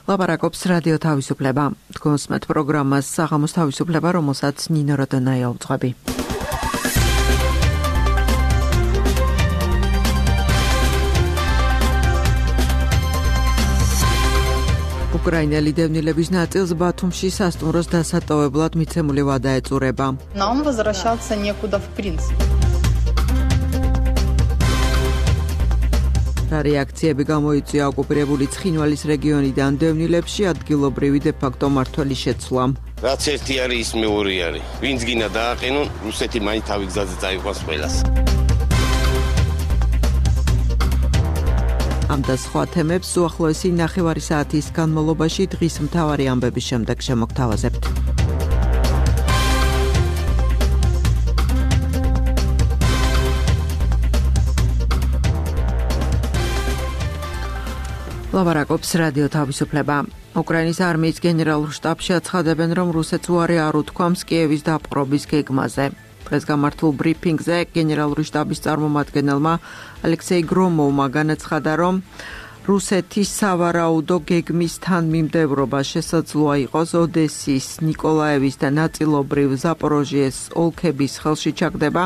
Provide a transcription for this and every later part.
ლაპარაკობს რადიო თავისუფლება. თქვენსმეთ პროგრამას საღამოს თავისუფლება, რომელსაც ნინო როდონაია უძღვები. უკრაინელი დევნილების ნაწილს ბათუმში სასტუმროს დასატოვებლად მიცემული ვადა ეწურება. Нам возвращаться некуда в принципе. რეაქციები გამოიწვია ოკუპირებული ცხინვალის რეგიონიდან დევნილებში ადგილობრივი დე-ფაქტო მმართველის შეცვლამ. რაც ერთი არის ის მეორე არის. ვინც გინდა დააყენონ, რუსეთი მაინც თავი გზაზე წაიყვანს ყველას. ამ და სხვა თემებს უახლოესი ნახევარი საათის განმავლობაში დღის მთავარი ამბების შემდეგ შემოგთავაზებთ. ლაპარაკობს რადიო თავისუფლება. უკრაინის არმიის გენერალურ შტაბში აცხადებენ, რომ რუსეთს უარი არ უთქვამს კიევის დაპყრობის გეგმაზე. დღეს გამართულ ბრიფინგზე გენერალური შტაბის წარმომადგენელმა ალექსეი გრომოვმა განაცხადა, რომ რუსეთის სავარაუდო გეგმის თანმიმდევრობა შესაძლოა იყოს ოდესის, ნიკოლაევის და ნაწილობრივ ზაპოროჟიეს ოლქების ხელში ჩაგდება,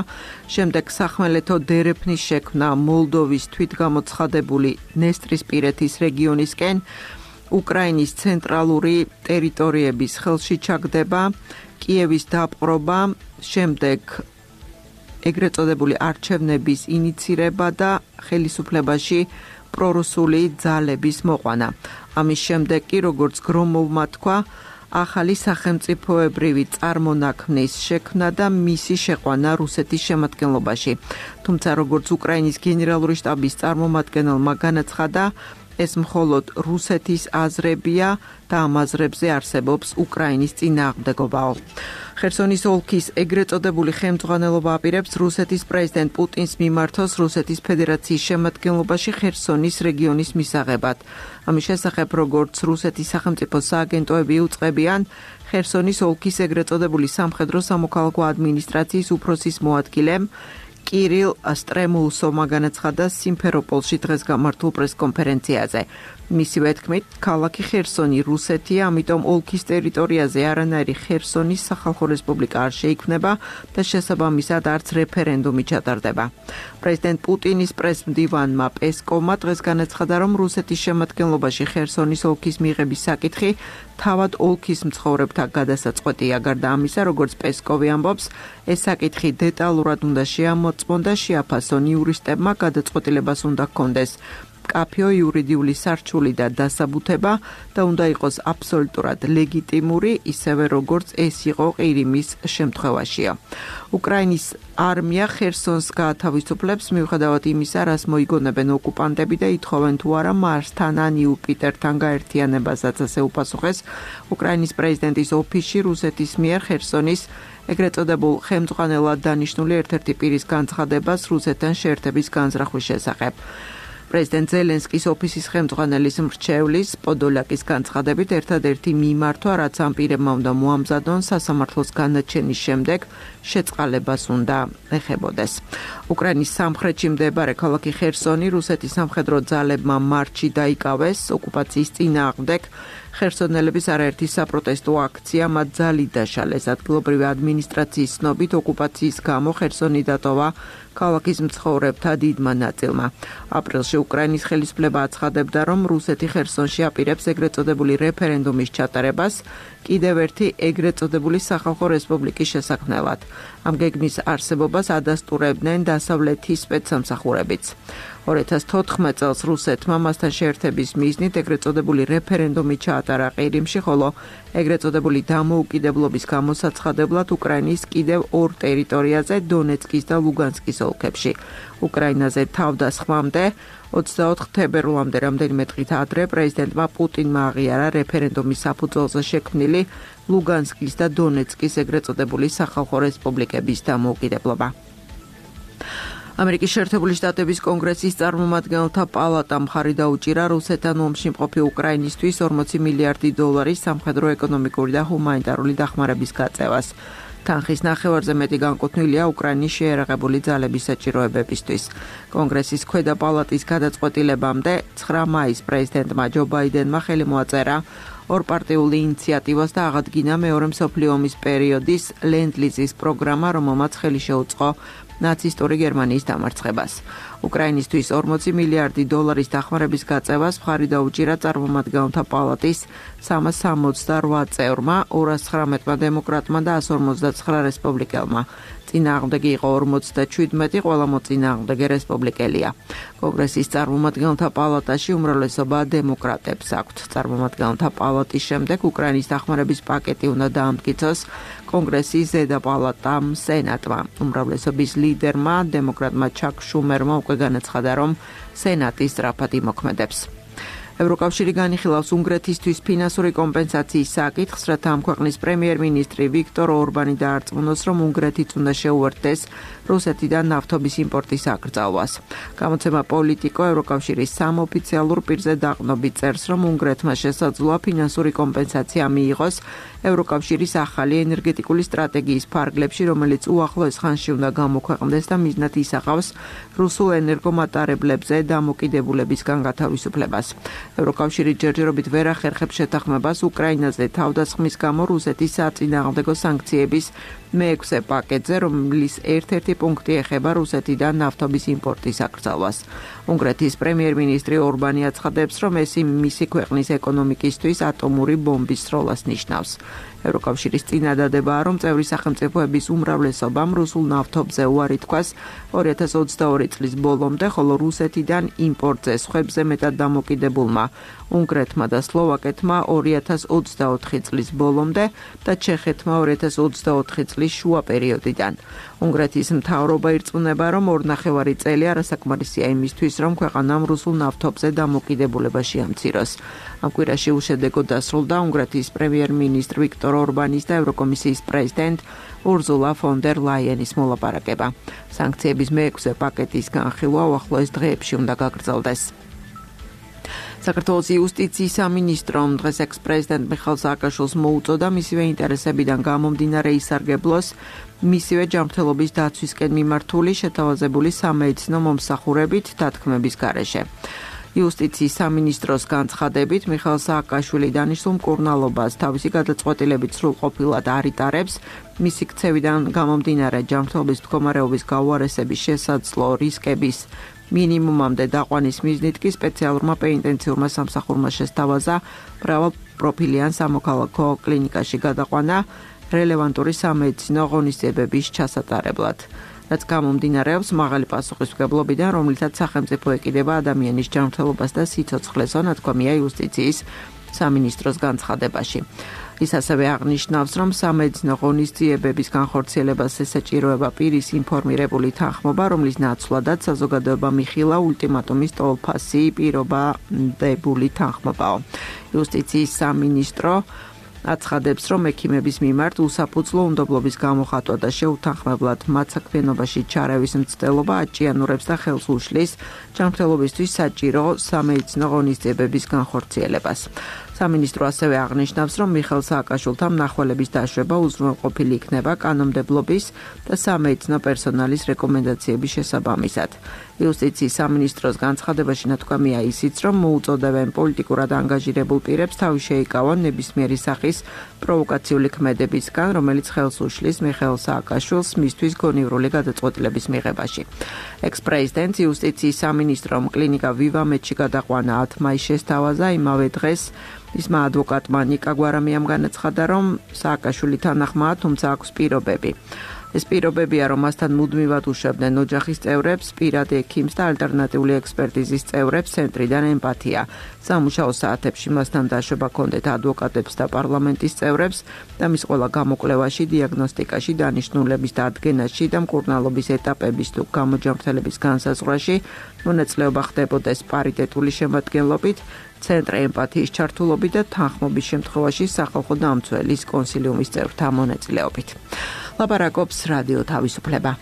შემდეგ სახმელეთო დერეფნის შექმნა მოლდოვის თვითგამოცხადებული ნესტრისპირეთის რეგიონისკენ, უკრაინის ცენტრალური ტერიტორიების ხელში ჩაგდება, კიევის დაპყრობა, შემდეგ ეგრეთ წოდებული არჩევნების ინიცირება და ხელისუფლებაში პრორუსული ძალების მოყვანა. ამის შემდეგ კი, როგორც გრომოვმა თქვა, ახალი სახელმწიფოებრივი წარმონაქმნის შექმნა და მისი შეყვანა რუსეთის შემადგენლობაში. თუმცა, როგორც უკრაინის გენერალური შტაბის წარმომადგენელმა განაცხადა, ეს მხოლოდ რუსეთის აზრებია და ამ აზრებზე არსებობს უკრაინის წინააღმდეგობაო. ხერსონის ოლქის ეგრეთ წოდებული ხელმძღვანელობა აპირებს რუსეთის პრეზიდენტ პუტინს მიმართოს რუსეთის ფედერაციის შემადგენლობაში ხერსონის რეგიონის მისაღებად. ამის შესახებ, როგორც რუსეთის სახელმწიფო სააგენტოები უწყებიან, ხერსონის ოლქის ეგრეთ წოდებული სამხედრო სამოქალაქო ადმინისტრაციის უფროსის მოადგილემ კირილ სტრემულსოვმა განაცხადა სიმფეროპოლში დღეს გამართულ პრესკონფერენციაზე. მისივე თქმით, ქალაქი ხერსონი რუსეთია, ამიტომ ოლქის ტერიტორიაზე არანაირი ხერსონის სახალხო რესპუბლიკა არ შეიქმნება და შესაბამისად არც რეფერენდუმი ჩატარდება. პრეზიდენტ პუტინის პრესმდივანმა პესკოვმა დღეს განაცხადა, რომ რუსეთის შემადგენლობაში ხერსონის ოლქის მიღების საკითხი თავად ოლქის მცხოვრებთა გადასაწყვეტია. გარდა ამისა, როგორც პესკოვი ამბობს, ეს საკითხი დეტალურად უნდა შეამოწმონ და შეაფასონ იურისტებმა, გადაწყვეტილებას უნდა ჰქონდეს კაფეო იურიდიული სარჩული და დასაბუთება და უნდა იყოს აბსოლუტურად ლეგიტიმური, ისევე როგორც ეს იყო ყირიმის შემთხვევაშია. უკრაინის არმია ხერსონს გაათავისუფლებს მიუხედავად იმისა, რას მოიგონებენ ოკუპანტები და ითხოვენ თუ არა მარსთან ან იუპიტერთან გაერთიანებასაც, ასე უპასუხეს უკრაინის პრეზიდენტის ოფისში რუსეთის მიერ ხერსონის ეგრეთ წოდებულ ხელმძღვანელად დანიშნული ერთ-ერთი პირის განცხადებას რუსეთთან შეერთების განზრახვის შესახებ. პრეზიდენტ ზელენსკის ოფისის ხელმძღვანელის მრჩევლის პოდოლაკის განცხადებით ერთადერთი მიმართვა, რაც ამ პირებმა უნდა მოამზადონ სასამართლოს განაჩენის შემდეგ შეწყალებას უნდა ეხებოდეს. უკრაინის სამხრეთში მდებარე ქალაქი ხერსონი რუსეთის სამხედრო ძალებმა მარტში დაიკავეს ოკუპაციის წინააღმდეგ. ხერსონელების არაერთი საპროტესტო აქცია მათ ძალით დაშალეს. ადგილობრივი ადმინისტრაციის ცნობით ოკუპაციის გამო ხერსონი დატოვა ქალაქის მცხოვრებთა დიდმა ნაწილმა. აპრილში უკრაინის ხელისუფლება აცხადებდა, რომ რუსეთი ხერსონში აპირებს ეგრეთ წოდებული რეფერენდუმის ჩატარებას კიდევ ერთი ეგრეთ წოდებული სახალხო რესპუბლიკის შესაქმნელად. ამ გეგმის არსებობას ადასტურებდნენ დასავლეთის სპეცსამსახურებიც. 2014 წელს რუსეთმა მასთან შეერთების მიზნით ეგრეთ წოდებული რეფერენდუმი ჩაატარა ყირიმში, ხოლო ეგრეთ წოდებული დამოუკიდებლობის გამოსაცხადებლად უკრაინის კიდევ ორ ტერიტორიაზე, დონეცკის და ლუგანსკის ოლქებში. უკრაინაზე თავდასხმამდე 24 თებერვლამდე რამდენიმე დღით ადრე პრეზიდენტმა პუტინმა აღიარა რეფერენდუმის საფუძველზე შექმნილი ლუგანსკის და დონეცკის ეგრეთ წოდებული სახალხო რესპუბლიკების დამოუკიდებლობა. ამერიკის შეერთებული შტატების კონგრესის წარმომადგენელთა პალატამ მხარი დაუჭირა რუსეთთან ომში მყოფი უკრაინისთვის $40 მილიარდი სამხედრო, ეკონომიკური და ჰუმანიტარული დახმარების გაწევას. თანხის ნახევარზე მეტი განკუთვნილია უკრაინის შეერაღებული ძალების საჭიროებებისთვის. კონგრესის ქვედა პალატის გადაწყვეტილებამდე 9 მაისს პრეზიდენტმა ჯო ბაიდენმა ხელი მოაწერა ორპარტიული ინიციატივას და აღადგინა მეორე მსოფლიო ომის პერიოდის ლენდ-ლიზის პროგრამა, რომელმაც ხელი შეუწყო ნაცისტური გერმანიის დამარცხებას. უკრაინისთვის 40 მილიარდი დოლარის დახმარების გაწევას მხარი დაუჭირა წარმომადგენელთა პალატის 368 წევრმა, 219-მა დემოკრატმა და 159 რესპუბლიკელმა. წინააღმდეგი იყო 47, ყველა მოწინააღმდეგე რესპუბლიკელია. კონგრესის წარმომადგენელთა პალატაში უმრავლესობა დემოკრატებს აქვთ. წარმომადგენელთა პალატის შემდეგ უკრაინის დახმარების პაკეტი უნდა დაამტკიცოს კონგრესის ზედა პალატამ სენატმა. უმრავლესობის ლიდერმა, დემოკრატმა ჩაკ შუმერმა უკვე განაცხადა, რომ სენატი სწრაფად იმოქმედებს. ევროკავშირი განიხილავს უნგრეთისთვის ფინანსური კომპენსაციის საკითხს, რათა ამ ქვეყნის პრემიერ-მინისტრი ვიქტორ ორბანი დაარწმუნოს, რომ უნგრეთიც უნდა შეუერთდეს რუსეთიდან ნავთობის იმპორტის აკრძალვას. გამოცემა პოლიტიკო ევროკავშირის სამოფიციალურ პირზე დაყრდნობით წერს, რომ უნგრეთმა შესაძლოა ფინანსური კომპენსაცია მიიღოს ევროკავშირის ახალი ენერგეტიკული სტრატეგიის ფარგლებში, რომელიც უახლოეს ხანში უნდა გამოქვეყნდეს და მიზნად ისახავს რუსულ ენერგომატარებლებზე დამოკიდებულებისგან გათავისუფლებას. ევროკავშირი ჯერჯერობით ვერ ახერხებს შეთანხმებას უკრაინაზე თავდასხმის გამო რუსეთის საწინააღმდეგო სანქციების მე-6 პაკეტზე, რომლის ერთ-ერთი პუნქტი ეხება რუსეთიდან ნავთობის იმპორტის აკრძალვას. უნგრეთის პრემიერ-მინისტრი ორბანი აცხადებს, რომ ეს მისი ქვეყნის ეკონომიკისთვის ატომური ბომბის სროლას ნიშნავს. ევროკავშირის წინადადებაა, რომ წევრი სახელმწიფოების უმრავლესობამ რუსულ ნავთობზე უარი თქვას 2022 წლის ბოლომდე, ხოლო რუსეთიდან იმპორტზე სხვებზე მეტად დამოკიდებულმა უნგრეთმა და სლოვაკეთმა 2024 წლის ბოლომდე და ჩეხეთმა 2024 წლის შუა პერიოდიდან. უნგრეთის მთავრობა ირწმუნება, რომ 2.5 წელი არასაკმარისია იმისთვის, რომ ქვეყანამ რუსულ ნავთობზე დამოკიდებულება შეამციროს. ამ კვირაში უშედეგოდ დასრულდა უნგრეთის პრემიერ-მინისტრ ვიქტორ ორბანის და ევროკომისიის პრეზიდენტ ურზულა ფონ დერ ლაიენის მოლაპარაკება. სანქციების მე-6 პაკეტის განხილვა უახლოეს დღეებში უნდა გაგრძელდეს. საქართველოს იუსტიციის სამინისტრომ დღეს ექს-პრეზიდენტ მიხეილ სააკაშვილს მოუწოდა მისივე ინტერესებიდან გამომდინარე ისარგებლოს მისივე ჯანმრთელობის დაცვისკენ მიმართული შეთავაზებული სამედიცინო მომსახურებით დათქმების გარეშე. იუსტიციის სამინისტროს განცხადებით მიხეილ სააკაშვილი დანიშნულ მკურნალობას თავისი გადაწყვეტილებით სრულყოფილად არ იტარებს, მისი ქცევიდან გამომდინარე ჯანმრთელობის მდგომარეობის გაუარესების შესაძლო რისკების მინიმუმამდე დაყვანის მიზნით კი სპეციალურმა პენიტენციურმა სამსახურმა შესთავაზა მრავალპროფილიან სამოქალაქო კლინიკაში გადაყვანა რელევანტური სამედიცინო ღონისძიებების ჩასატარებლად. რაც გამომდინარეობს მაღალი პასუხისმგებლობიდან, რომლითაც სახელმწიფო ეკიდება ადამიანის ჯანმრთელობას და სიცოცხლეს, ნათქვამია იუსტიციის სამინისტროს განცხადებაში. ის ასევე აღნიშნავს, რომ სამედიცინო ღონისძიებების განხორციელებას ესაჭიროება პირის ინფორმირებული თანხმობა, რომლის ნაცვლადაც საზოგადოება მიხილა ულტიმატუმის ტოლფასი პირობადებული თანხმობაო. იუსტიციის სამინისტრო აცხადებს, რომ ექიმების მიმართ უსაფუძვლო უნდობლობის გამოხატვა და შეუთანხმებლად მათ საქმიანობაში ჩარევის მცდელობა აჭიანურებს და ხელს უშლის ჯანმრთელობისთვის საჭირო სამედიცინო ღონისძიებების განხორციელებას. სამინისტრო ასევე აღნიშნავს, რომ მიხეილ სააკაშვილთან მნახველების დაშვება უზრუნველყოფილი იქნება კანონმდებლობის და სამედიცინო პერსონალის რეკომენდაციების შესაბამისად. იუსტიციის სამინისტროს განცხადებაში ნათქვამია ისიც, რომ მოუწოდებენ პოლიტიკურად ანგაჟირებულ პირებს თავი შეიკავონ ნებისმიერი სახის პროვოკაციული ქმედებისგან, რომელიც ხელს უშლის მიხეილ სააკაშვილს მისთვის გონივრული გადაწყვეტილების მიღებაში. ექს-პრეზიდენტ იუსტიციის სამინისტრომ კლინიკა ვივამედში გადაყვანა 10 მაისს შესთავაზა, იმავე დღეს მისმა ადვოკატმა ნიკა გვარამიამ განაცხადა, რომ სააკაშვილი თანახმაა, თუმცა აქვს პირობები. ეს პირობებია, რომ მასთან მუდმივად უშვებდნენ ოჯახის წევრებს, პირად ექიმს და ალტერნატიული ექსპერტიზის წევრებს ცენტრიდან ემპათია. სამუშაო საათებში მასთან დაშვება ჰქონდეთ ადვოკატებს და პარლამენტის წევრებს და მის ყველა გამოკვლევაში, დიაგნოსტიკაში, დანიშნულების დადგენაში და მკურნალობის ეტაპების თუ გამოჯანმრთელების განსაზღვრაში მონაწილეობა ხდებოდეს პარიტეტული შემადგენლობით, ცენტრ ემპათიის ჩართულობით და თანხმობის შემთხვევაში სახალხო დამცველის კონსილიუმის წევრთა მონაწილეობით. ლაპარაკობს რადიო თავისუფლება.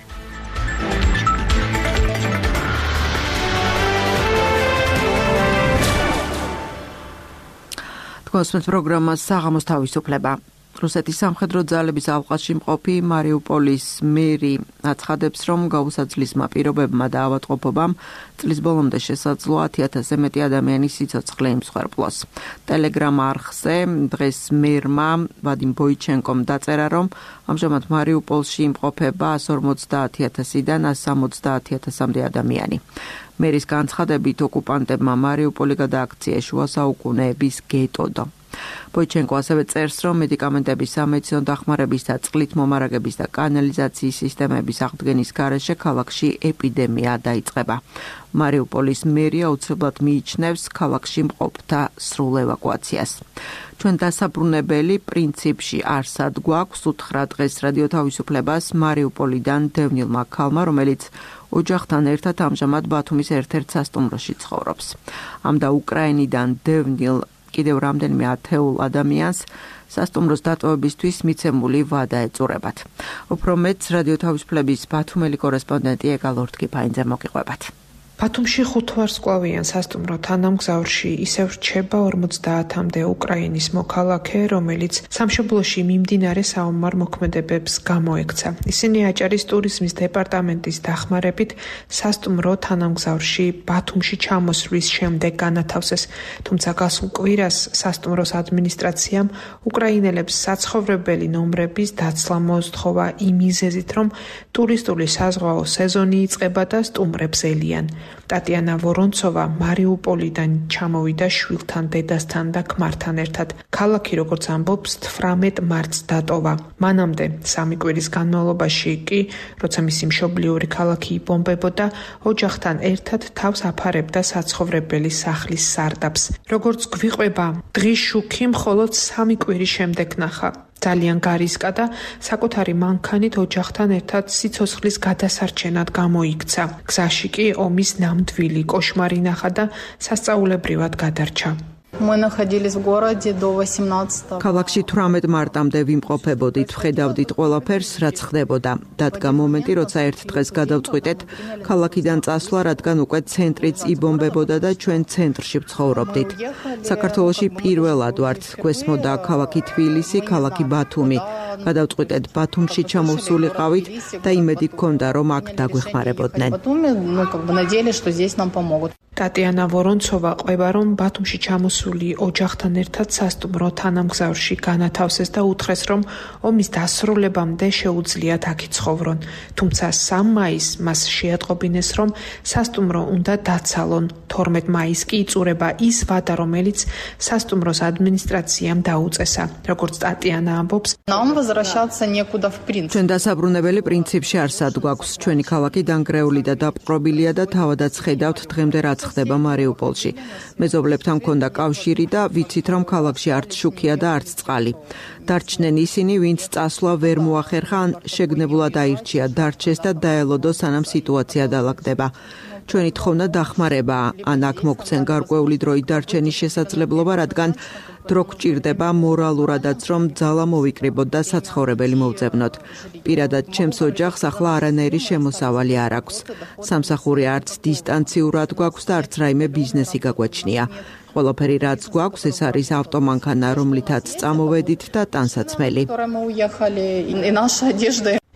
თქვენს პროგრამას საღამოს თავისუფლება. რუსეთის სამხედრო ძალების ალყაში მყოფი მარიუპოლის მერი აცხადებს, რომ გაუსაძლისმა პირობებმა და ავადმყოფობამ წლის ბოლომდე შესაძლოა 1000-ზე მეტი ადამიანის სიცოცხლე იმსხვერპლოს. ტელეგრამ არხზე დღეს მერმა ვადიმ ბოიჩენკომ დაწერა, რომ ამჟამად მარიუპოლში იმყოფება 150,000-დან 170,000-მდე ადამიანი. მერის განცხადებით, ოკუპანტებმა მარიუპოლი გადააქციეს შუა საუკუნეების გეტოდო. ბოიჩენკო ასევე წერს, რომ მედიკამენტების სამედიცინო დახმარების და წყლით მომარაგების და კანალიზაციის სისტემების აღდგენის გარეშე ქალაქში ეპიდემია დაიწყება. მარიუპოლის მერია უცებად მიიჩნევს ქალაქში მყოფთა სრულ ევაკუაციას. ჩვენ დასაბრუნებელი პრინციპში არსად გვაქვს, უთხრა დღეს რადიო თავისუფლებას მარიუპოლიდან დევნილმა ქალმა, რომელიც ოჯახთან ერთად ამჟამად ბათუმის ერთ-ერთ სასტუმროში ცხოვრობს. ამ და უკრაინიდან დევნილ კიდევ რამდენიმე ათეულ ადამიანს სასტუმროს დატოვებისთვის მიცემული ვადა ეწურებათ. უფრო მეტს რადიო თავისუფლების ბათუმელი კორესპონდენტი ეგალ ორთქიფაინძე მოგიყვებათ. ბათუმში 5 ვარსკვლავიან სასტუმრო თანამგზავრში ისევ რჩება 50-მდე უკრაინის მოქალაქე, რომელიც სამშობლოში მიმდინარე საომარ მოქმედებებს გამოექცა. ისინი აჭარის ტურიზმის დეპარტამენტის დახმარებით სასტუმრო თანამგზავრში ბათუმში ჩამოსვლის შემდეგ განათავსეს, თუმცა გასულ კვირას სასტუმროს ადმინისტრაციამ უკრაინელებს საცხოვრებელი ნომრების დაცლა მოსთხოვა იმ მიზეზით, რომ ტურისტული საზღვაო სეზონი იწყება და სტუმრებს ელიან. ტატიანა ვორონცოვა მარიუპოლიდან ჩამოვიდა შვილთან, დედასთან და ქმართან ერთად. ქალაქი, როგორც ამბობს, 18 მარტს დატოვა. მანამდე 3 კვირის განმავლობაში კი, როცა მისი მშობლიური ქალაქი იბომბებოდა, ოჯახთან ერთად თავს აფარებდა საცხოვრებელი სახლის სარდაფს. როგორც გვიყვება, დღის შუქი მხოლოდ 3 კვირის შემდეგ ნახა. ძალიან გარისკა და საკუთარი მანქანით ოჯახთან ერთად სიცოცხლის გადასარჩენად გამოიქცა. გზაში კი ომის ნამდვილი კოშმარი ნახა და სასწაულებრივად გადარჩა. Мы находились в городе до 18. ქალაქში 18 მარტამდე ვიმყოფებოდით, ვხედავდით ყველაფერს, რაც ხდებოდა. დადგა მომენტი, როცა ერთ დღეს გადავწყვიტეთ ქალაქიდან წასვლა, რადგან უკვე ცენტრიც იბომბებოდა და ჩვენ ცენტრში ვცხოვრობდით. საქართველოში პირველად ვართ, გვესმოდა ქალაქი თბილისი, ქალაქი ბათუმი. გადავწყვიტეთ ბათუმში ჩამოვსულიყავით და იმედი გქონდა, რომ აქ დაგვეხმარებოდნენ. ტატიანა ვორონცოვა ყვება, რომ ბათუმში ჩამოსული ოჯახთან ერთად სასტუმრო თანამგზავრში განათავსეს და უთხრეს, რომ ომის დასრულებამდე შეუძლიათ აქ იცხოვრონ. თუმცა 3 მაისს მას შეატყობინეს, რომ სასტუმრო უნდა დაცალონ. 12 მაისს კი იწურება ის ვადა, რომელიც სასტუმროს ადმინისტრაციამ დაუწესა. როგორც ტატიანა ამბობს, Нам возвращаться некуда в принципе. ჩვენ დასაბრუნებელი პრინციპში არსად გვაქვს. ჩვენი ქალაქი დანგრეული და დაპყრობილია და თავადაც ხედავთ დღემდე რაც ხდება მარიუპოლში. მეზობლებთან მქონდა კავშირი და ვიცით, რომ ქალაქში არც შუქია და არც წყალი. დარჩნენ ისინი, ვინც წასვლა ვერ მოახერხა, ან შეგნებულად აირჩია დარჩეს და დაელოდო, სანამ სიტუაცია დაალაგდება. ჩვენი თხოვნა დახმარებაა, ან აქ მოგცენ გარკვეული დროით დარჩენის შესაძლებლობა, რადგან დრო გჭირდება მორალურადაც, რომ ძალა მოვიკრიბოთ და საცხოვრებელი მოვძებნოთ. პირადად ჩემს ოჯახს ახლა არანაირი შემოსავალი არ აქვს. სამსახური არც დისტანციურად გვაქვს და არც რაიმე ბიზნესი გაგვაჩნია. ყველაფერი რაც გვაქვს, ეს არის ავტომანქანა, რომლითაც წამოვედით და ტანსაცმელი.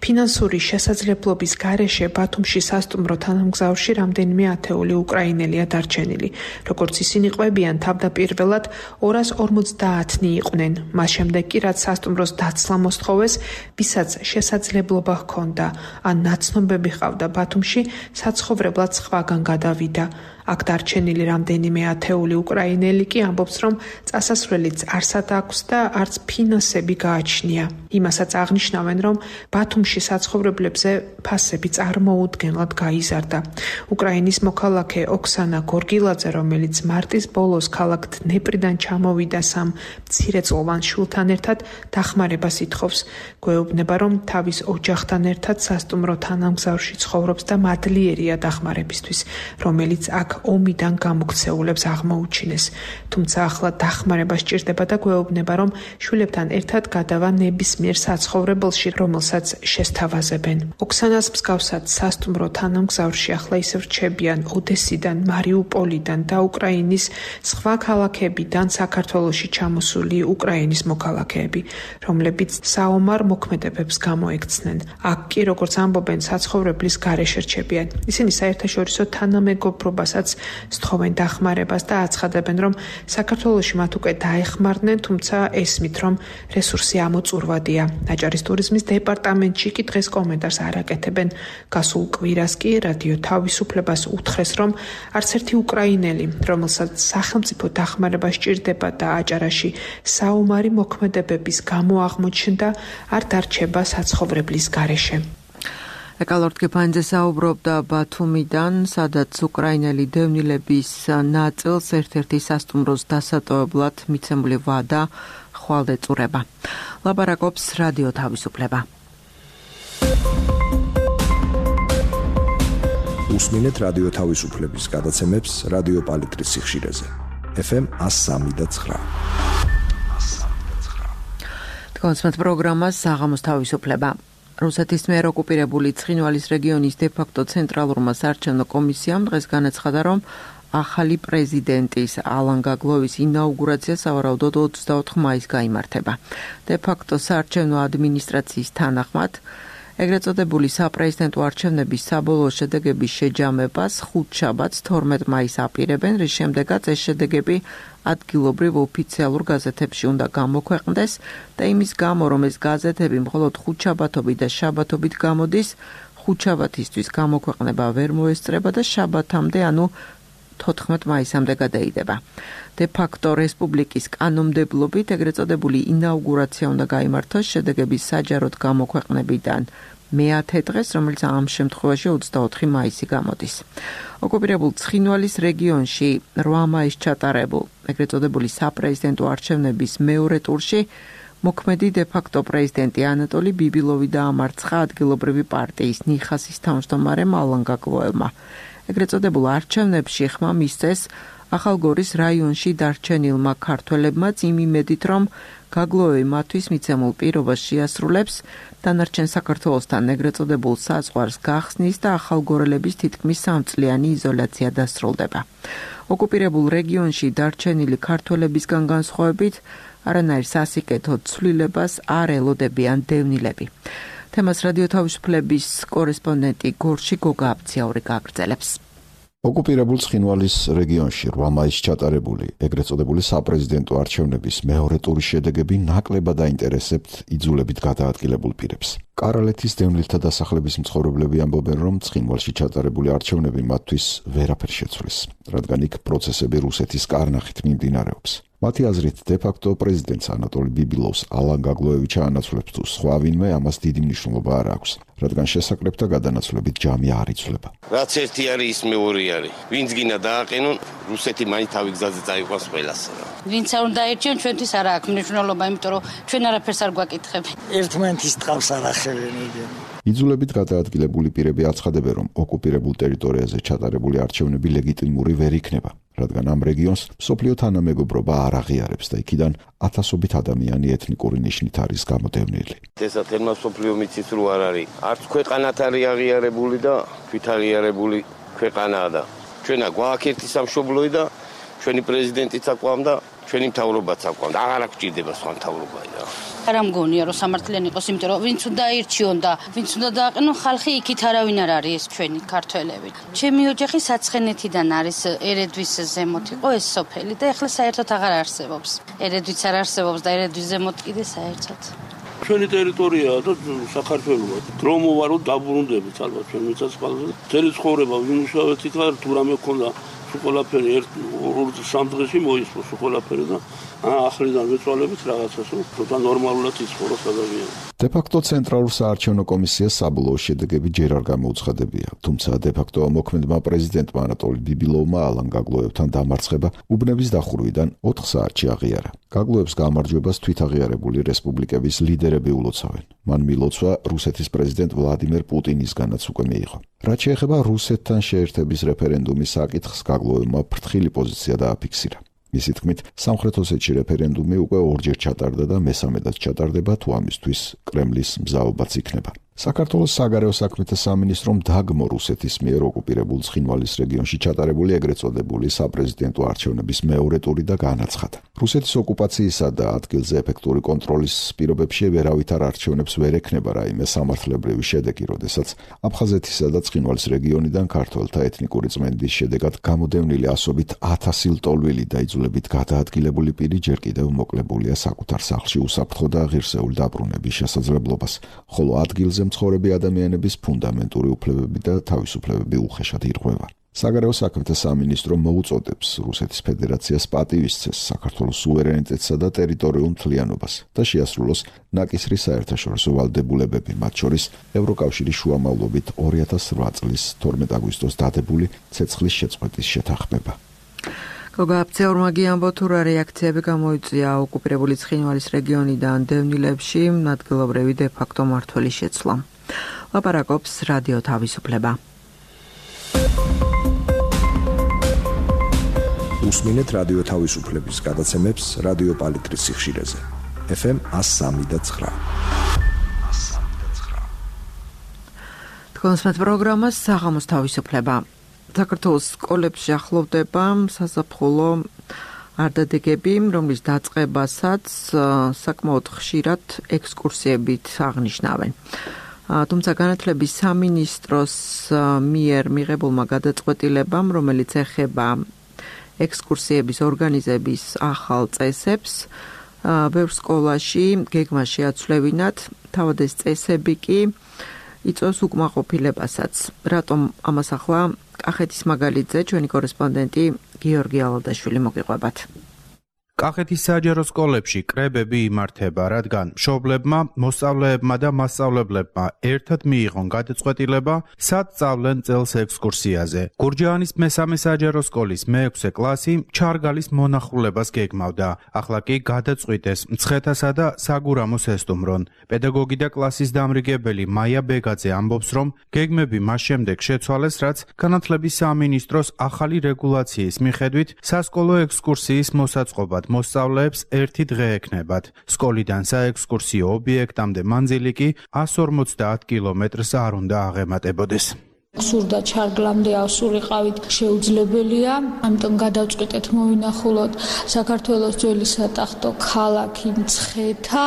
ფინანსური შესაძლებლობის გარეშე ბათუმში სასტუმრო თანამგზავრში რამდენიმე ათეული უკრაინელია დარჩენილი. როგორც ისინი ყვებიან, თავდაპირველად 250-ნი იყვნენ. მას შემდეგ კი რაც სასტუმროს დაცლა მოსთხოვეს, ვისაც შესაძლებლობა ჰქონდა, ან ნაცნობები ჰყავდა ბათუმში, საცხოვრებლად სხვაგან გადავიდა. აქ დარჩენილი რამდენიმე ათეული უკრაინელი კი ამბობს, რომ წასასვლელიც არსად აქვს და არც ფინანსები გააჩნია. იმასაც აღნიშნავენ, რომ ბათუმში საცხოვრებლებზე ფასები წარმოუდგენლად გაიზარდა. უკრაინის მოქალაქე ოქსანა გორგილაძე, რომელიც მარტის ბოლოს ქალაქ დნეპრიდან ჩამოვიდა 3 მცირეწლოვან შვილთან ერთად, დახმარებას ითხოვს. გვეუბნება, რომ თავის ოჯახთან ერთად სასტუმრო თანამგზავრში ცხოვრობს და მადლიერია დახმარებისთვის, რომელიც აქ ომიდან გამოქცეულებს აღმოუჩინეს. თუმცა ახლა დახმარება სჭირდება და გვეუბნება, რომ შვილებთან ერთად გადავა ნებისმიერ საცხოვრებელში, რომელსაც შესთავაზებენ. ოქსანას მსგავსად სასტუმრო თანამგზავრში ახლა ისევ რჩებიან ოდესიდან, მარიუპოლიდან და უკრაინის სხვა ქალაქებიდან საქართველოში ჩამოსული უკრაინის მოქალაქეები, რომლებიც საომარ მოქმედებებს გამოექცნენ. აქ კი, როგორც ამბობენ, საცხოვრებლის გარეშე რჩებიან. ისინი საერთაშორისო თანამეგობრობასაც სთხოვენ დახმარებას და აცხადებენ, რომ საქართველოში მათ უკვე დაეხმარნენ, თუმცა ესმით, რომ რესურსი ამოწურვადია. აჭარის ტურიზმის დეპარტამენტში კი დღეს კომენტარს არ აკეთებენ. გასულ კვირას კი რადიო თავისუფლებას უთხრეს, რომ არც ერთი უკრაინელი, რომელსაც სახელმწიფო დახმარება სჭირდება და აჭარაში საომარი მოქმედებების გამო აღმოჩნდა, არ დარჩება საცხოვრებლის გარეშე. ეკალორდ გეფანიძე საუბრობდა ბათუმიდან, სადაც უკრაინელი დევნილების ნაწილს ერთ-ერთი სასტუმროს დასატოვებლად მიცემული ვადა ხვალ ეწურება. ლაპარაკობს რადიო თავისუფლება. უსმინეთ რადიო თავისუფლების გადაცემებს რადიო პალიტრის სიხშირეზე. FM 103.9. კონსმეთ პროგრამას საღამოს თავისუფლება. რუსეთის მიერ ოკუპირებული ცხინვალის რეგიონის დე-ფაქტო ცენტრალურმა საარჩევნო კომისიამ დღეს განაცხადა, რომ ახალი პრეზიდენტის ალან გაგლოვის ინაუგურაცია სავარაუდოდ 24 მაისს გაიმართება. დე-ფაქტო საარჩევნო ადმინისტრაციის თანახმად ეგრეთ წოდებული საპრეზიდენტო არჩევნების საბოლოო შედეგების შეჯამებას ხუთშაბათს 12 მაისს აპირებენ, რის შემდეგაც ეს შედეგები ადგილობრივ ოფიციალურ გაზეთებში უნდა გამოქვეყნდეს და იმის გამო, რომ ეს გაზეთები მხოლოდ ხუთშაბათობით და შაბათობით გამოდის, ხუთშაბათისთვის გამოქვეყნება ვერ მოესწრება და შაბათამდე, ანუ 14 მაისამდე გადაიდება. დე-ფაქტო რესპუბლიკის კანონმდებლობით ეგრეთ წოდებული ინაუგურაცია უნდა გაიმართოს შედეგების საჯაროდ გამოქვეყნებიდან მე-10 დღეს, რომელიც ამ შემთხვევაში 24 მაისი გამოდის. ოკუპირებულ ცხინვალის რეგიონში 8 მაისს ჩატარებულ ეგრეთ წოდებული საპრეზიდენტო არჩევნების მეორე ტურში მოქმედი დე-ფაქტო პრეზიდენტი ანატოლი ბიბილოვი დაამარცხა ადგილობრივი პარტიის ნიხასის თავმჯდომარემ ალან გაგლოევმა. ეგრეთ წოდებულ არჩევნებში ხმა მისცეს ახალგორის რაიონში დარჩენილმა ქართველებმაც იმ იმედით, რომ გაგლოევი მათთვის მიცემულ პირობას შეასრულებს, დანარჩენ საქართველოსთან ეგრეთ წოდებულ საზღვარს გახსნის და ახალგორელების თითქმის 3 წლიანი იზოლაცია დასრულდება. ოკუპირებულ რეგიონში დარჩენილი ქართველებისგან განსხვავებით, არანაირ სასიკეთო ცვლილებას არ ელოდებიან დევნილები. თემას რადიო თავისუფლების კორესპონდენტი გორში გოგა აბციაური გაგრძელებს. ოკუპირებულ ცხინვალის რეგიონში 8 მაისს ჩატარებული ეგრეთ წოდებული საპრეზიდენტო არჩევნების მეორე ტურის შედეგები ნაკლებად აინტერესებთ იძულებით გადაადგილებულ პირებს. კარალეთის დევნილთა დასახლების მცხოვრებლები ამბობენ, რომ ცხინვალში ჩატარებული არჩევნები მათთვის ვერაფერს შეცვლის, რადგან იქ პროცესები რუსეთის კარნახით მიმდინარეობს. მათი აზრით, დე-ფაქტო პრეზიდენტს ანატოლი ბიბილოვს ალან გაგლოევი ჩაანაცვლებს თუ სხვა ვინმე, ამას დიდი მნიშვნელობა არ აქვს, რადგან შესაკრებთა გადანაცვლებით ჯამი არ იცვლება. რაც ერთი არის, ის მეორე არის. ვინც გინდა დააყენონ, რუსეთი მაინც თავი გზაზე წაიყვანს ყველას. ვინც არ უნდა აირჩიონ, ჩვენთვის არ აქვს მნიშვნელობა, იმიტომ რომ ჩვენ არაფერს არ გვაკითხები. ერთმანეთის ტყავს არ ახევენ იგი. იძულებით გადაადგილებული პირები აცხადებენ, რომ ოკუპირებულ ტერიტორიაზე ჩატარებული არჩევნები ლეგიტიმური ვერ იქნება, რადგან ამ რეგიონს მსოფლიო თანამეგობრობა არ აღიარებს და იქიდან ათასობით ადამიანი ეთნიკური ნიშნით არის გამოდევნილი. ესა თემა მსოფლიო მიცით რო არ არის. არც ქვეყანათ არის აღიარებული და თვით აღიარებული ქვეყანაა და ჩვენა გვაქვს ერთი სამშობლოი და ჩვენი პრეზიდენტიც აკვამ და ჩვენი მთავრობაც აკვამ და აღარ გვჭირდება სხვა მთავრობა და არ ამგონია რომ სამართლიანი იყოს, იმიტომ რომ ვინც უნდა აირჩიონ და ვინც უნდა დააყენონ, ხალხი იქით არავინ არ არის ეს ჩვენი ქართველები. ჩემი ოჯახი საცხენეთიდან არის, ერედვის ზემოთ იყო ეს სოფელი და ეხლა საერთოდ აღარ არსებობს. ერედვიც არ არსებობს და ერედვის ზემოთ კიდე საერთოდ. ჩვენი ტერიტორიაა და საქართველოა. დრო მოვარო დაბრუნდებით ალბათ ჩვენ მიწასყალზე. ძელი ცხოვრება ვიმუშავეთ იქ თუ რამე ქონდა სულ ერთ 2-3 დღეში მოისმო სულ და ახლიდან ვეცვალებით რაღაცას და ნორმალურად იცხოვროს ადამიანი. დე-ფაქტო ცენტრალურ საარჩევნო კომისიას საბოლოო შედეგები ჯერ არ გამოუცხადებია, თუმცა დე-ფაქტო მოქმედმა პრეზიდენტმა ანატოლი ბიბილოვმა ალან გაგლოევთან დამარცხება უბნების დახურვიდან 4 საათში აღიარა. გაგლოევს გამარჯვებას თვითაღიარებული რესპუბლიკების ლიდერები ულოცავენ. მან მილოცვა რუსეთის პრეზიდენტ ვლადიმერ პუტინისგანაც უკვე მიიღო. რაც შეეხება რუსეთთან შეერთების რეფერენდუმის საკითხს, გაგლოვებმა ფრთხილი პოზიცია დააფიქსირა. მისი თქმით, სამხრეთ ოსეთში რეფერენდუმი უკვე ორჯერ ჩატარდა და მესამედაც ჩატარდება, თუ ამისთვის კრემლის მზაობაც იქნება. საქართველოს საგარეო საქმეთა სამინისტრომ დაგმო რუსეთის მიერ ოკუპირებულ ცხინვალის რეგიონში ჩატარებული ეგრეთ წოდებული საპრეზიდენტო არჩევნების მეორე ტური და განაცხადა. რუსეთის ოკუპაციისა და ადგილზე ეფექტური კონტროლის პირობებში ვერავითარ არჩევნებს ვერ ექნება რაიმე სამართლებრივი შედეგი, როდესაც აფხაზეთისა და ცხინვალის რეგიონიდან ქართველთა ეთნიკური წმენდის შედეგად გამოდევნილი ასობით 1000 ლტოლვილი და იძულებით გადაადგილებული პირი ჯერ კიდევ მოკლებულია საკუთარ სახლში უსაფრთხო და ღირსეული დაბრუნების შესაძლებლობას, ხოლო ადგილზე მცხოვრები ადამიანების ფუნდამენტური უფლებები და თავისუფლებები უხეშად ირღვევა. საგარეო საქმეთა სამინისტრო მოუწოდებს რუსეთის ფედერაციას პატივისცეს საქართველოს სუვერენიტეტსა და ტერიტორიულ მთლიანობას და შეასრულოს ნაკისრი საერთაშორისო ვალდებულებები, მათ შორის ევროკავშირის შუამავლობით 2008 წლის 12 აგვისტოს დადებული ცეცხლის შეწყვეტის შეთანხმება. გოგაბცეურმაგი ამბობ, თუ რა რეაქციები გამოიწვია ოკუპირებული ცხინვალის რეგიონიდან დევნილებში ადგილობრივი დე-ფაქტო მმართველის შეცვლა. ლაპარაკობს რადიო თავისუფლება. უსმინეთ რადიო თავისუფლების გადაცემებს რადიო პალიტრის სიხშირეზე. FM 103.9. თქვენს პროგრამას საღამოს თავისუფლება. საქართველოს სკოლებში ახლოვდება საზაფხულო არდადეგები, რომლის დაწყებასაც საკმაოდ ხშირად ექსკურსიებით აღნიშნავენ. თუმცა განათლების სამინისტროს მიერ მიღებულმა გადაწყვეტილებამ, რომელიც ეხება ექსკურსიების ორგანიზების ახალ წესებს, ბევრ სკოლაში გეგმა შეაცვლევინათ, თავად ეს წესები კი იწვევს უკმაყოფილებასაც. რატომ ამას ახლა კახეთის მაგალითზე ჩვენი კორესპონდენტი გიორგი ალადაშვილი მოგიყვებათ. კახეთის საჯარო სკოლებში კრებები იმართება, რადგან მშობლებმა, მოსწავლეებმა და მასწავლებლებმა ერთად მიიღონ გადაწყვეტილება, სად სწავლენ წელს ექსკურსიაზე. გურჯაანის მესამე საჯარო სკოლის მე-6 კლასი ჩარგალის მონახულებას გეგმავდა. ახლა კი გადაწყვიტეს მცხეთასა და საგურამოს ესტუმრონ. პედაგოგი და კლასის დამრიგებელი მაია ბეგაძე ამბობს, რომ გეგმები მას შემდეგ შეცვალეს, რაც განათლების სამინისტროს ახალი რეგულაციის მიხედვით სასკოლო ექსკურსიის მოსაწყობად მოსწავლეებს ერთი დღე ექნებათ. სკოლიდან საექსკურსიო ობიექტამდე მანძილი კი 150 კილომეტრს არ უნდა აღემატებოდეს. სურდა ჩარგლამდე ავსულიყავით შეუძლებელია, ამიტომ გადავწყვიტეთ მოვინახულოთ საქართველოს ძველი სატახტო ქალაქი მცხეთა,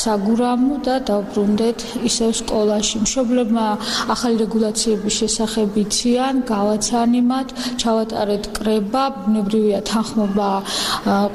საგურამო და დავბრუნდეთ ისევ სკოლაში. მშობლებმა ახალი რეგულაციების შესახებ იციან, გავაცანიმათ, ჩავატარეთ კრება, ბუნებრივია თანხმობა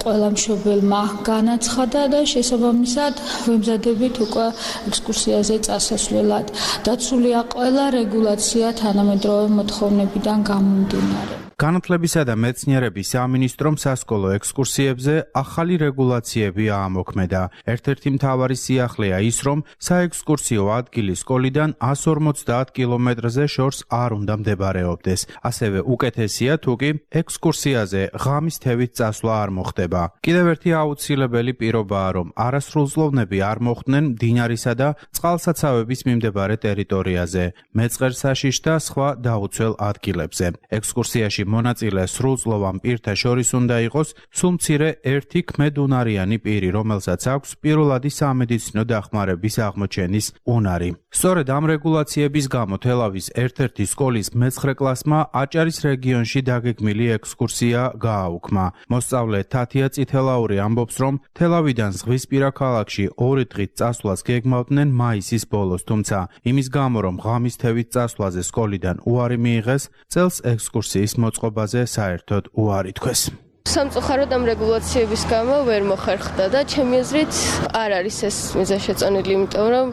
ყველა მშობელმა განაცხადა და შესაბამისად ვემზადებით უკვე ექსკურსიაზე წასასვლელად. დაცულია ყველა რეგულაცია თანამედროვე მოთხოვნებიდან გამომდინარე. განათლებისა და მეცნიერების სამინისტრომ სასკოლო ექსკურსიებზე ახალი რეგულაციები აამოქმედა. ერთ-ერთი მთავარი სიახლეა ის, რომ საექსკურსიო ადგილი სკოლიდან 150 კილომეტრზე შორს არ უნდა მდებარეობდეს. ასევე უკეთესია, თუ კი ექსკურსიაზე ღამის თევით წასვლა არ მოხდება. კიდევ ერთი აუცილებელი პირობაა, რომ არასრულწლოვნები არ მოხვდნენ მდინარისა და წყალსაცავების მიმდებარე ტერიტორიაზე, მეწყერსაშიშ და სხვა დაუცველ ადგილებზე. ექსკურსიაში მონაწილე სრულწლოვან პირთა შორის უნდა იყოს სულ მცირე ერთი ქმედუნარიანი პირი, რომელსაც აქვს პირველადი სამედიცინო დახმარების აღმოჩენის უნარი. სწორედ ამ რეგულაციების გამო თელავის ერთ-ერთი სკოლის მე-9 კლასმა აჭარის რეგიონში დაგეგმილი ექსკურსია გააუქმა. მოსწავლე თათია წითელაური ამბობს, რომ თელავიდან ზღვისპირა ქალაქში 2 დღით წასვლას გეგმავდნენ მაისის ბოლოს, თუმცა იმის გამო, რომ ღამის თევით წასვლაზე სკოლიდან უარი მიიღეს, წელს ექსკურსიის მოწყობაზე საერთოდ უარი თქვეს. სამწუხაროდ ამ რეგულაციების გამო ვერ მოხერხდა და ჩემი აზრით არ არის ეს მიზანშეწონილი, იმიტომ რომ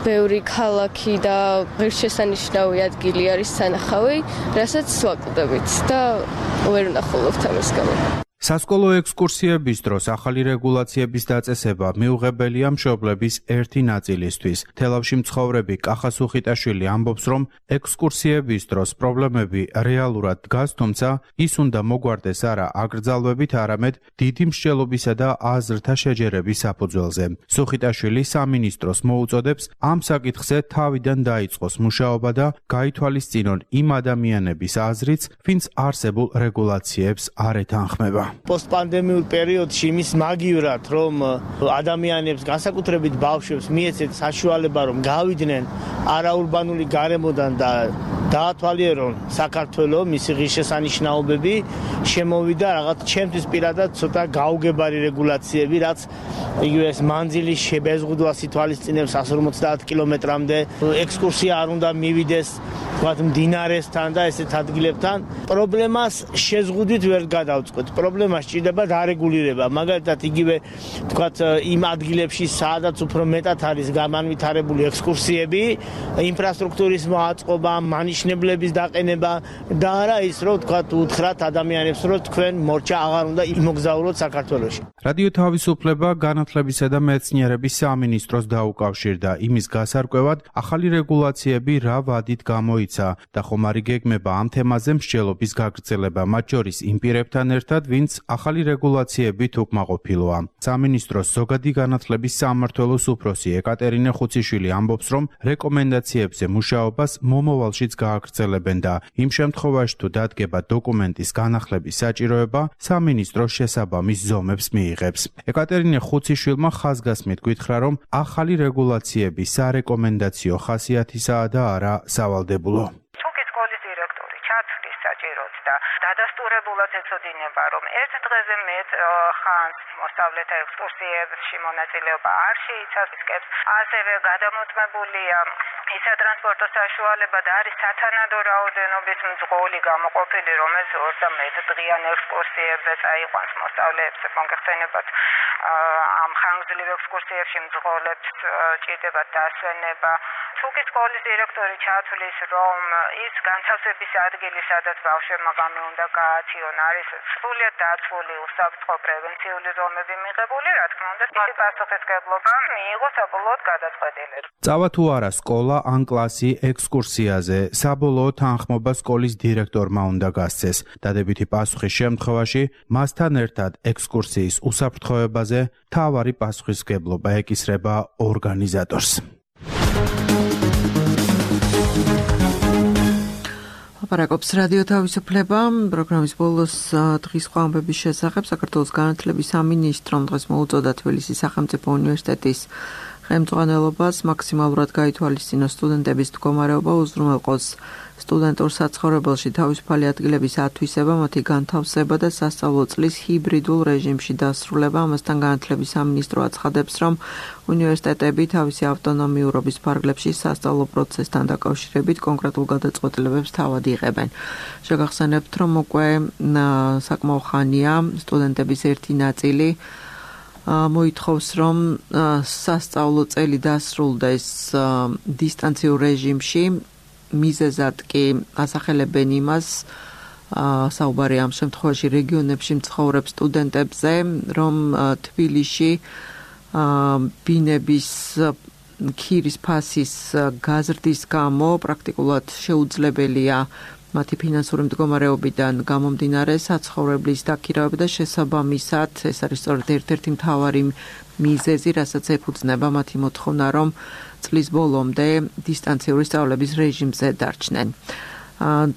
ბევრი ქალაქი და ღირსშესანიშნავი ადგილი არის სანახავი, რასაც ვაკვდებით და ვერ ვნახულობთ ამის გამო. სასკოლო ექსკურსიების დროს ახალი რეგულაციების დაწესება მიუღებელია მშობლების ერთი ნაწილისთვის. თელავში მცხოვრები კახა სუხიტაშვილი ამბობს, რომ ექსკურსიების დროს პრობლემები რეალურად დგას, თუმცა ის უნდა მოგვარდეს არა აკრძალვებით, არამედ დიდი მსჯელობისა და აზრთა შეჯერების საფუძველზე. სუხიტაშვილი სამინისტროს მოუწოდებს ამ საკითხზე თავიდან დაიწყოს მუშაობა და გაითვალისწინონ იმ ადამიანების აზრიც, ვინც არსებულ რეგულაციებს არ ეთანხმება. Post-pandemiურ პერიოდში იმის მაგივრად, რომ ადამიანებს, განსაკუთრებით ბავშვებს მიეცეთ საშუალება, რომ გავიდნენ არაურბანული გარემოდან და დაათვალიერონ საქართველოს მისი ღირსშესანიშნაობები, შემოვიდა რაღაც ჩემთვის პირადად ცოტა გაუგებარი რეგულაციები, რაც იგივე ეს მანძილის შებეზღუდვას ითვალისწინებს 150 კილომეტრამდე, ექსკურსია არ უნდა მივიდეს თქვათ მდინარესთან და ესეთ ადგილებთან. პრობლემას შეზღუდვით ვერ გადავწყვეტ. პრობლემა სჭირდება დარეგულირება. მაგალითად იგივე თქვათ იმ ადგილებში, სადაც უფრო მეტად არის გამანვითარებული ექსკურსიები, ინფრასტრუქტურის მოაწყობა, მანიშნებლების დაყენება და არა ის, რომ თქვათ უთხრათ ადამიანებს, რომ თქვენ მორჩა აღარ უნდა იმოგზაუროთ საქართველოში. რადიო თავისუფლება განათლებისა და მეცნიერების სამინისტროს დაუკავშირდა იმის გასარკვევად, ახალი რეგულაციები რა ვადით გამოიცა და ხომ არ იგეგმება ამ თემაზე მსჯელობის გაგრძელება, მათ შორის იმ პირებთან ერთად, ვინც ახალი რეგულაციებით უკმაყოფილოა. სამინისტროს ზოგადი განათლების სამმართველოს უფროსი ეკატერინე ხუციშვილი ამბობს, რომ რეკომენდაციებზე მუშაობას მომავალშიც გააგრძელებენ და იმ შემთხვევაში თუ დადგება დოკუმენტის განახლების საჭიროება, სამინისტრო შესაბამის ზომებს მიიღებს. ეკატერინე ხუციშვილმა ხაზგასმით გითხრა, რომ ახალი რეგულაციები სარეკომენდაციო ხასიათისაა და არა სავალდებულო. და დადასტურებულად ეცოდინება, რომ ერთ დღეზე მეტ ხანს მოსწავლეთა ექსკურსიებში მონაწილეობა არ შეიცავს, ასევე გადამოწმებულია ის სატრანსპორტო საშუალება და არის სათანადო რაოდენობის მძღოლი გამოყოფილი, რომელიც 21 დღიან ექსკურსიებზე წაიყვანს მოსწავლეებს, მოგეხსენებათ ამ ხანგრძლივ ექსკურსიებში მძღოლებს ჭირდება დასვენება. თუკი სკოლის დირექტორი ჩათვლის, რომ ის განთავსების ადგილი, სადაც ბავშვებმა ღამე უნდა გაათიონ, არის სრულიად დაცული უსაფრთხო პრევენციული ზომები მიღებული, რა თქმა უნდა, მისი პასუხისმგებლობა მიიღო საბოლოოდ გადაწყვეტილება. წავა თუ არა სკოლა ან კლასი ექსკურსიაზე, საბოლოო თანხმობა სკოლის დირექტორმა უნდა გასცეს. დადებითი პასუხის შემთხვევაში მასთან ერთად ექსკურსიის უსაფრთხოებაზე მთავარი პასუხისმგებლობა ეკისრება ორგანიზატორს. აპარაკობს რადიო თავისუფლება. პროგრამის ბოლოს დღის ხვამბების შესახებ საქართველოს განათლების სამინისტრომ დღეს მოუწოდა თბილისის სახელმწიფო უნივერსიტეტის ხელმძღვანელობას მაქსიმალურად გაითვალისწინოს სტუდენტების მდგომარეობა, უზრუნველყოს სტუდენტურ საცხოვრებელში თავისუფალი ადგილების ათვისება, მათი განთავსება და სასწავლო წლის ჰიბრიდულ რეჟიმში დასრულება. ამასთან განათლების სამინისტრო აცხადებს, რომ უნივერსიტეტები თავისი ავტონომიურობის ფარგლებში სასწავლო პროცესთან დაკავშირებით კონკრეტულ გადაწყვეტილებებს თავად იღებენ. შეგახსენებთ, რომ უკვე საკმაო ხანია სტუდენტების ერთი ნაწილი მოითხოვს, რომ სასწავლო წელი დასრულდეს დისტანციურ რეჟიმში. მიზეზად კი ასახელებენ იმას, საუბარი ამ შემთხვევაში რეგიონებში მცხოვრებ სტუდენტებზე, რომ თბილისში ბინების ქირის ფასის გაზრდის გამო პრაქტიკულად შეუძლებელია მათი ფინანსური მდგომარეობიდან გამომდინარე საცხოვრებლის დაქირავება და შესაბამისად ეს არის სწორედ ერთ-ერთი მთავარი მიზეზი, რასაც ეფუძნება მათი მოთხოვნა, რომ წლის ბოლომდე დისტანციური სწავლების რეჟიმზე დარჩნენ.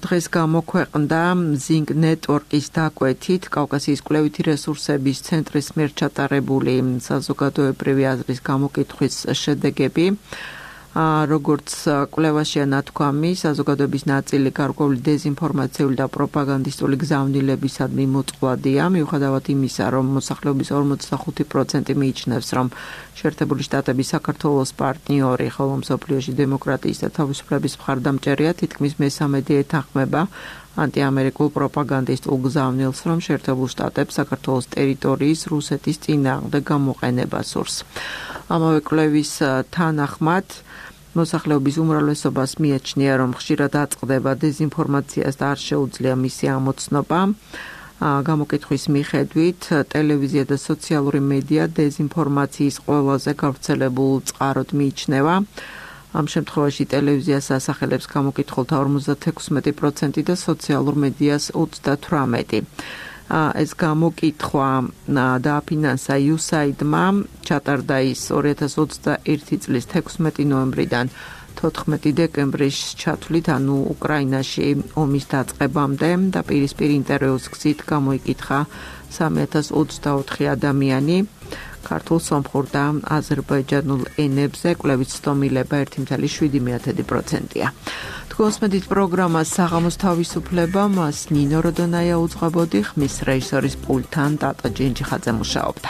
დღეს გამოქვეყნდა Zing Network-ის დაკვეთით კავკასიის კვლევითი რესურსების ცენტრის მიერ ჩატარებული საზოგადოებრივი აზრის გამოკითხვის შედეგები. როგორც კვლევაშია ნათქვამი, საზოგადოების ნაწილი გარკვეული დეზინფორმაციული და პროპაგანდისტული გზავნილებისადმი მოწყვლადია, მიუხედავად იმისა, რომ მოსახლეობის 45% მიიჩნევს, რომ შეერთებული შტატები საქართველოს პარტნიორი, ხოლო მსოფლიოში დემოკრატიის და თავისუფლების მხარდამჭერია, თითქმის მესამედი ეთანხმება ანტიამერიკულ პროპაგანდისტულ გზავნილს, რომ შეერთებულ შტატებს საქართველოს ტერიტორიის რუსეთის წინააღმდეგ გამოყენება სურს. ამავე კვლევის თანახმად მოსახლეობის უმრავლესობას მიაჩნია, რომ ხშირად აწყდება დეზინფორმაციას და არ შეუძლია მისი ამოცნობა. გამოკითხვის მიხედვით ტელევიზია და სოციალური მედია დეზინფორმაციის ყველაზე გავრცელებულ წყაროდ მიიჩნევა. ამ შემთხვევაში ტელევიზიას ასახელებს გამოკითხულთა 56% და სოციალურ მედიას 38%. ეს გამოკითხვა დააფინანსა USAID-მა, ჩატარდა ის 2021 წლის 16 ნოემბრიდან 14 დეკემბრის ჩათვლით, ანუ უკრაინაში ომის დაწყებამდე და პირისპირ ინტერვიუს გზით გამოიკითხა 3024 ადამიანი. ქართულ, სომხურ და აზერბაიჯანულ ენებზე კვლევის ცდომილება 1.7%-ია. თქვენს მედით პროგრამას საღამოს თავისუფლება, მას ნინო როდონაია უძღვებოდი, ხმის რეჟისორის პულტთან ტატა ჯენჯიხაძე მუშაობდა.